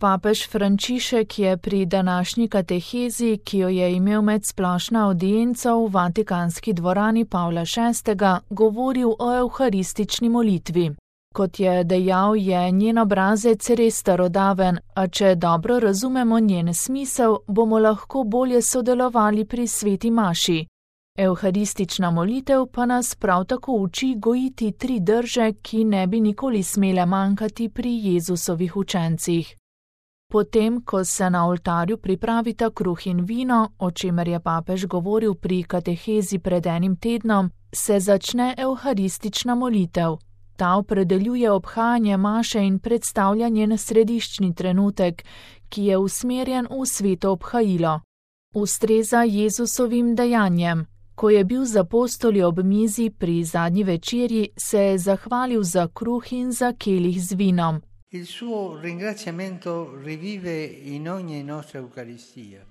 Papež Frančišek je pri današnji katehezi, ki jo je imel med splošno avdienco v Vatikanski dvorani Pavla VI., govoril o evharistični molitvi. Kot je dejal, je njen obrazec res starodaven, a če dobro razumemo njen smisel, bomo lahko bolje sodelovali pri sveti maši. Evharistična molitev pa nas prav tako uči gojiti 3 drže, ki ne bi nikoli smele manjkati pri Jezusovih učencih. Potem, ko se na oltarju pripravita kruh in vino, o čemer je papež govoril pri katehezi pred enim tednom, se začne evharistična molitev. Ta opredeljuje obhajanje maše in predstavlja njen središčni trenutek, ki je usmerjen v sveto obhajilo. Ustreza Jezusovim dejanjem. Ko je bil z apostoli ob mizi pri zadnji večerji, se je zahvalil za kruh in za kelih z vinom.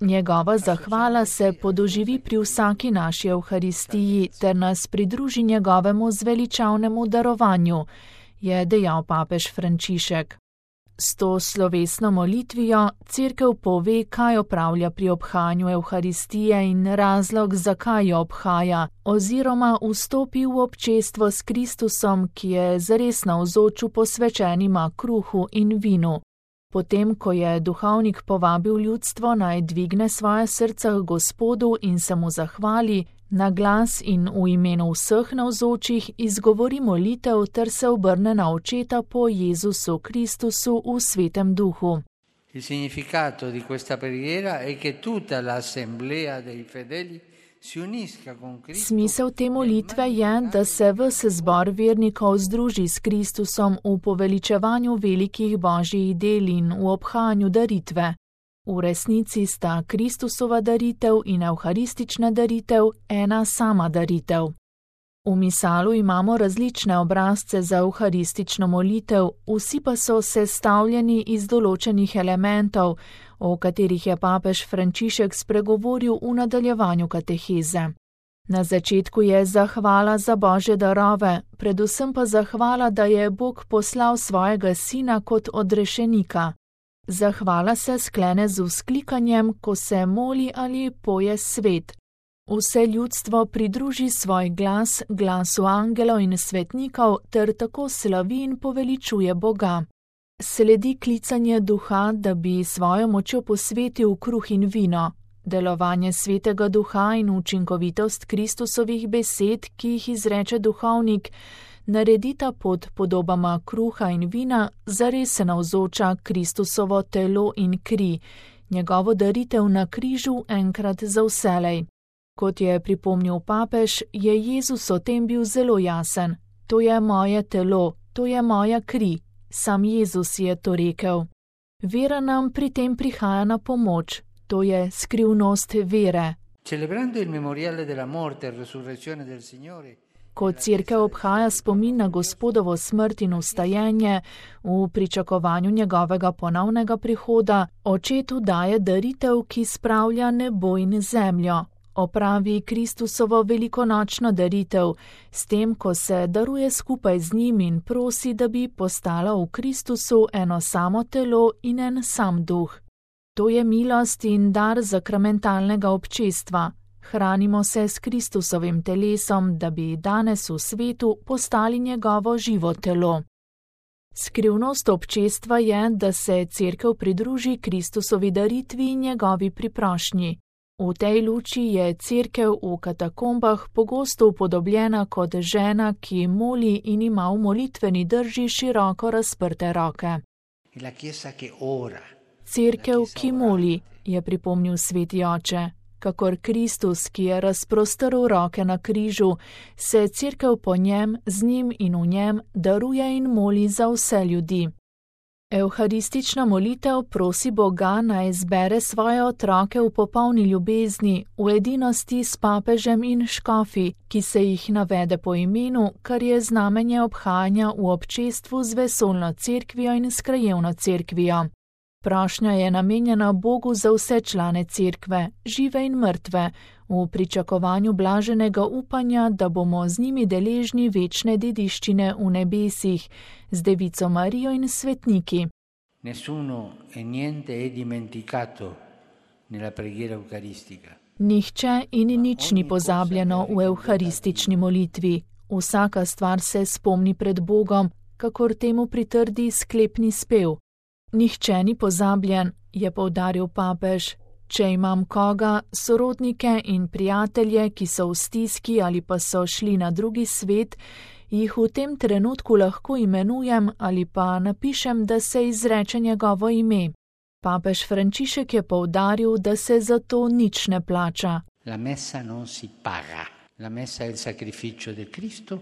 Njegova zahvala se podoživi pri vsaki naši evharistiji ter nas pridruži njegovemu zveličavnemu darovanju, je dejal papež Frančišek. S to slovesno molitvijo Cerkev pove, kaj opravlja pri obhajanju evharistije in razlog, zakaj jo obhaja, oziroma vstopi v občestvo s Kristusom, ki je zares navzoč v posvečenima kruhu in vinu. Potem, ko je duhovnik povabil ljudstvo, naj dvigne svoje srca k Gospodu in se mu zahvali, na glas in v imenu vseh navzočih izgovori molitev ter se obrne na očeta po Jezusu Kristusu v svetem duhu. Il significato di questa preghiera è che tutta l'assemblea dei fedeli si unisca con Cristo. Smisel te molitve je, da se ves zbor vernikov združi s Kristusom v poveličevanju velikih božjih del in v obhajanju daritve. V resnici sta Kristusova daritev in evharistična daritev ena sama daritev. V misalu imamo različne obrazce za evharistično molitev, vsi pa so sestavljeni iz določenih elementov, o katerih je papež Frančišek spregovoril v nadaljevanju kateheze. Na začetku je zahvala za božje darove, predvsem pa zahvala, da je Bog poslal svojega sina kot odrešenika. Zahvala se sklene z vzklikanjem, ko se moli ali poje svet. Vse ljudstvo pridruži svoj glas, glasu angelov in svetnikov, ter tako slavi in poveličuje Boga. Sledi klicanje duha, da bi svojo močjo posvetil kruh in vino. Delovanje svetega duha in učinkovitost Kristusovih besed, ki jih izreče duhovnik, naredita pod podobama kruha in vina zares navzoča Kristusovo telo in kri, njegovo daritev na križu enkrat za vselej. Kot je pripomnil papež, je Jezus o tem bil zelo jasen. To je moje telo, to je moja kri. Sam Jezus je to rekel. Vera nam pri tem prihaja na pomoč. To je skrivnost vere. Celebrando il memoriale della morte e resurrezione del Signore, Ko Cerkev obhaja spomin na Gospodovo smrt in vstajenje v pričakovanju njegovega ponovnega prihoda, očetu daje daritev, ki spravlja nebo in zemljo. Opravi Kristusovo velikonočno daritev, s tem, ko se daruje skupaj z njim in prosi, da bi postala v Kristusu eno samo telo in en sam duh. To je milost in dar sakramentalnega občestva. Hranimo se s Kristusovim telesom, da bi danes v svetu postali njegovo živo telo. Skrivnost občestva je, da se Cerkev pridruži Kristusovi daritvi in njegovi priprošnji. V tej luči je Cerkev v katakombah pogosto upodobljena kot žena, ki moli in ima v molitveni drži široko razprte roke. Cerkev, ki moli, je pripomnil sveti oče. Kakor Kristus, ki je razprostrl roke na križu, se Cerkev po njem, z njim in v njem daruje in moli za vse ljudi. Evharistična molitev prosi Boga, naj zbere svoje otroke v popolni ljubezni, v edinosti s papežem in škofi, ki se jih navede po imenu, kar je znamenje obhajanja v občestvu z vesoljno cerkvijo in s krajevno cerkvijo. Prošnja je namenjena Bogu za vse člane cerkve, žive in mrtve, v pričakovanju blaženega upanja, da bomo z njimi deležni večne dediščine v nebesih, z Devico Marijo in svetniki. Nessuno e niente è dimenticato nella preghiera eucaristica. Nihče in nič ni pozabljeno v evharistični molitvi. Vsaka stvar se spomni pred Bogom, kakor temu pritrdi sklepni spev. Nihče ni pozabljen, je poudaril papež. Če imam koga, sorodnike in prijatelje, ki so v stiski ali pa so šli na drugi svet, jih v tem trenutku lahko imenujem ali pa napišem, da se izreče njegovo ime. Papež Frančišek je poudaril, da se za to nič ne plača. La messa non si paga. La messa è il sacrificio del Cristo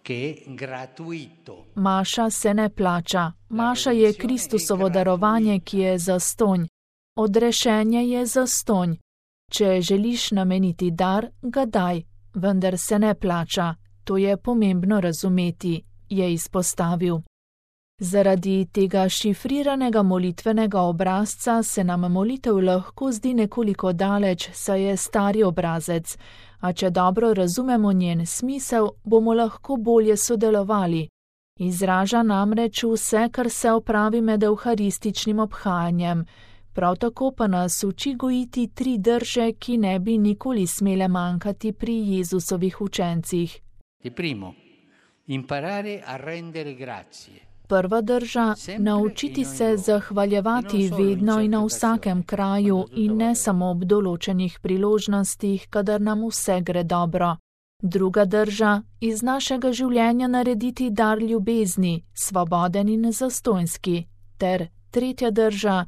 che è gratuito. Maša se ne plača. Maša je Kristusovo darovanje, ki je zastonj. Odrešenje je zastonj. Če želiš nameniti dar, ga daj, vendar se ne plača. To je pomembno razumeti, je izpostavil. Zaradi tega šifriranega molitvenega obrazca se nam molitev lahko zdi nekoliko daleč, saj je stari obrazec, a če dobro razumemo njen smisel, bomo lahko bolje sodelovali. Izraža namreč vse, kar se opravi med evharističnim obhajanjem. Prav tako pa nas uči gojiti 3 drže, ki ne bi nikoli smele manjkati pri Jezusovih učencih. Primo, imparare a rendere grazie. Prva drža, naučiti se zahvaljevati vedno in na vsakem kraju in ne samo ob določenih priložnostih, kadar nam vse gre dobro. Druga drža, iz našega življenja narediti dar ljubezni, svoboden in zastonjski. Ter tretja drža,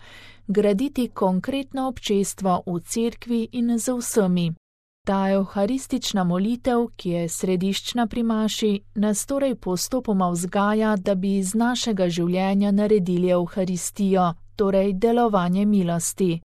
graditi konkretno občestvo v cerkvi in z vsemi. Ta evharistična molitev, ki je središčna pri maši, nas torej postopoma vzgaja, da bi iz našega življenja naredili evharistijo, torej delovanje milosti.